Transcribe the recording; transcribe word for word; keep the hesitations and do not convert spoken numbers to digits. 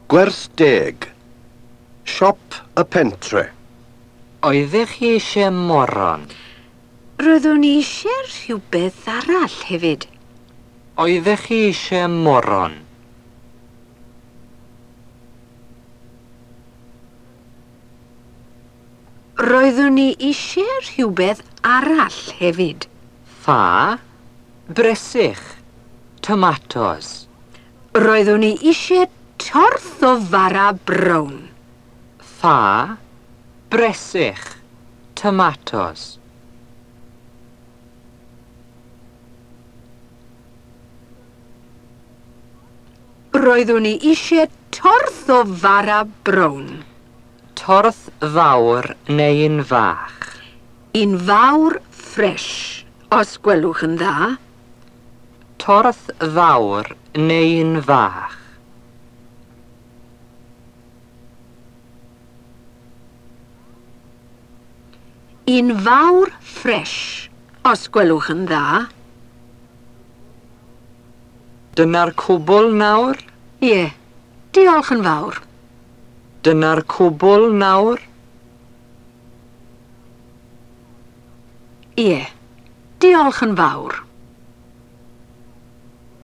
Gwers deg. Siop y pentre. Oeddech chi eisiau moron? Roeddwn i eisiau rhywbeth arall hefyd. Oeddech chi eisiau moron? Roeddwn i eisiau rhywbeth arall hefyd. Ffa, bresych, tomatos. Roeddwn i eisiau torth o fara brown. Ffa, bresych, tomatos. Roeddwn i eisiau torth o fara brown. Torth fawr neu un fach? Un fawr ffres, os gwelwch yn dda. Torth fawr neu un fach? Un fawr ffres, os gwelwch yn dda. Dyna'r cwbl nawr? Ie, diolch yn fawr. Dyna'r cwbl nawr? Ie, diolch yn fawr.